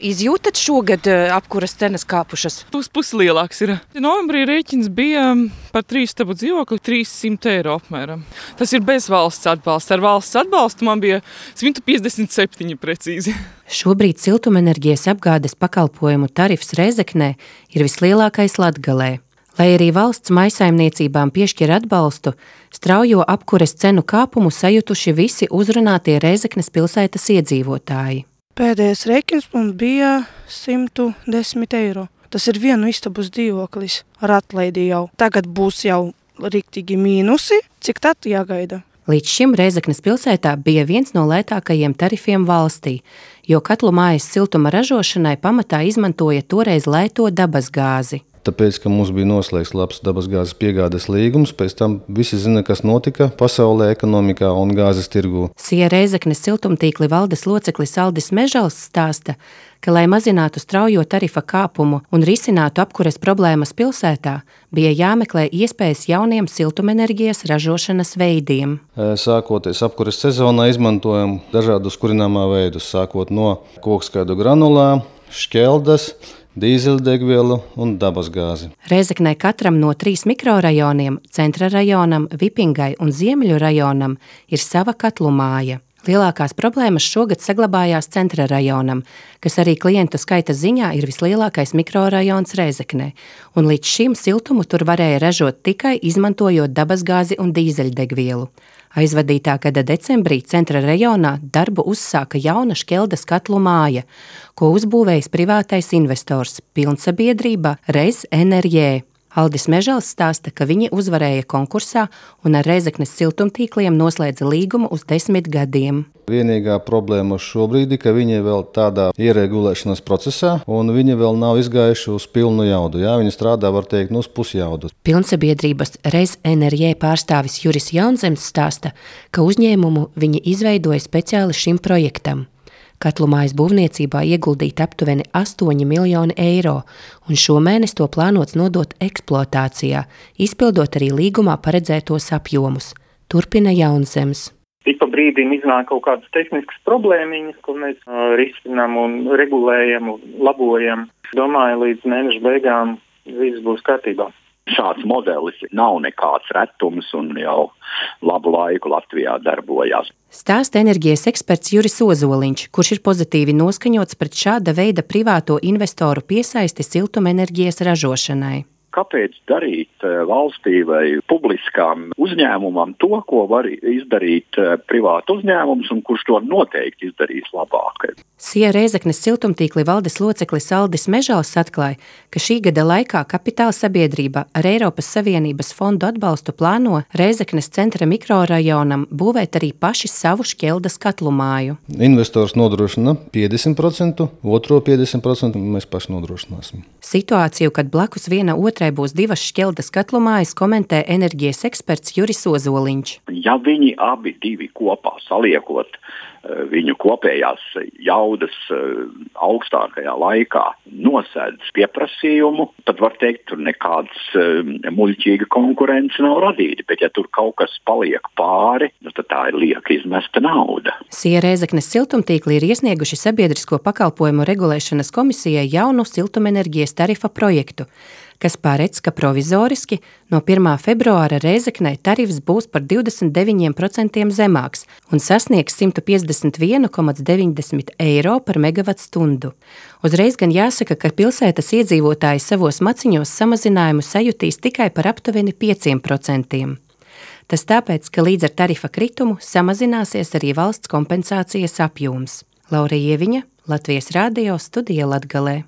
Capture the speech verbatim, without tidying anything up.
Izjūtat šogad apkuras cenas kāpušas? Pus puslielāks ir. Novembrī rēķins bija par trīs stabu dzīvokli trīssimt eiro apmēram. Tas ir bez valsts atbalsta. Ar valsts atbalstu man bija simt piecdesmit septiņi precīzi. Šobrīd siltumenerģijas apgādes pakalpojumu tarifs Rēzeknē ir vislielākais Latgalē. Lai arī valsts mājsaimniecībām piešķir atbalstu, straujo apkures cenu kāpumu sajutuši visi uzrunātie Rēzeknes pilsētas iedzīvotāji. Pēdējais rēķins mums bija simt desmit eiro. Tas ir vienu istabas dzīvoklis ar atlaidi jau. Tagad būs jau riktīgi mīnusi. Cik tad jāgaida? Līdz šim Rēzeknes pilsētā bija viens no lētākajiem tarifiem valstī, jo katlu mājas siltuma ražošanai pamatā izmantoja toreiz lēto dabasgāzi. Tāpēc, ka mums bija noslēgts labs dabasgāzes piegādes līgums, pēc tam visi zina, kas notika pasaulē, ekonomikā un gāzes tirgū. Sija Rēzeknes siltumtīkli valdes loceklis Aldis Mežals stāsta, ka, lai mazinātu straujo tarifa kāpumu un risinātu apkures problēmas pilsētā, bija jāmeklē iespējas jauniem siltumenerģijas ražošanas veidiem. Sākoties apkures sezonā izmantojam dažādus kurināmā veidus, sākot no kokskaidu granulā, šķeldas, dīzeļdegvielu un dabasgāzi. Rēzeknē katram no trīs mikrorajoniem, Centra rajonam, Vipingai un Ziemeļu rajonam, ir sava katlu māja. Lielākās problēmas šogad saglabājās Centra rajonam, kas arī klientu skaita ziņā ir vislielākais mikrorajons Rēzeknē, un līdz šim siltumu tur varēja ražot tikai izmantojot dabasgāzi un dīzeļdegvielu. Aizvadītā gada decembrī Centra rajonā darbu uzsāka jauna šķeldas katlu māja, ko uzbūvējis privātais investors, pilnsabiedrība Reiz Enerģē. Aldis Mežals stāsta, ka viņi uzvarēja konkursā un ar Rēzeknes siltumtīkliem noslēdza līgumu uz desmit gadiem. Vienīgā problēma šobrīd ir, ka viņi vēl tādā ieregulēšanas procesā un viņi vēl nav izgājuši uz pilnu jaudu. Jā, viņi strādā, var teikt, uz pusjaudu. Pilnsabiedrības Reiz Enerģē pārstāvis Juris Jaunzems stāsta, ka uzņēmumu viņi izveidoja speciāli šim projektam. Katlu mājas būvniecībā ieguldīt aptuveni astoņi miljoni eiro, un šomēnes to plānots nodot eksploatācijā, izpildot arī līgumā paredzētos apjomus. Turpina Jaunzems. Ik pa brīdim iznāk kaut kādas tehniskas problēmiņas, ko mēs uh, risinām un regulējam un labojam. Domāju, līdz mēneša beigām viss būs kārtībā. Šāds modelis nav nekāds retums un jau labu laiku Latvijā darbojās. Stāsta enerģijas eksperts Juris Ozoliņš, kurš ir pozitīvi noskaņots pret šāda veida privāto investoru piesaisti siltumenerģijas ražošanai. Kāpēc darīt valstī vai publiskām uzņēmumam to, ko var izdarīt privātu uzņēmums un kurš to noteikti izdarīs labāk? Sija Rēzeknes siltumtīkli valdes loceklis Aldis Mežals atklāja, ka šī gada laikā kapitāla sabiedrība ar Eiropas Savienības fondu atbalstu plāno Rēzeknes centra mikrorajonam būvēt arī paši savu šķeldas katlu māju. Investors nodrošina piecdesmit procentus, otro piecdesmit procentus mēs paši nodrošināsim. Situāciju, kad blakus viena otrai būs divas šķeldas katlu mājas, komentē enerģijas eksperts Juris Ozoliņš. Ja viņi abi divi kopā saliekot viņu kopējās jaudas augstākajā laikā nosēdz pieprasījumu, tad var teikt, tur nekāds muļķīga konkurence nav radīta, bet ja tur kaut kas paliek pāri, tad tā ir lieka izmesta nauda. Sija Rēzeknes siltumtīkli ir iesnieguši Sabiedrisko pakalpojumu regulēšanas komisijai jaunu siltumenerģijas tarifa projektu, kas paredz, ka provizoriski no pirmā februāra Rēzeknē tarifs būs par divdesmit deviņiem procentiem zemāks un sasniegs simt piecdesmit viens komats deviņdesmit eiro par megavatstundu. Uzreiz gan jāsaka, ka pilsētas iedzīvotāji savos maciņos samazinājumu sajutīs tikai par aptuveni pieciem procentiem. Tas tāpēc, ka līdz ar tarifa kritumu samazināsies arī valsts kompensācijas apjoms. Laura Ieviņa, Latvijas Rādio, studija Latgalē.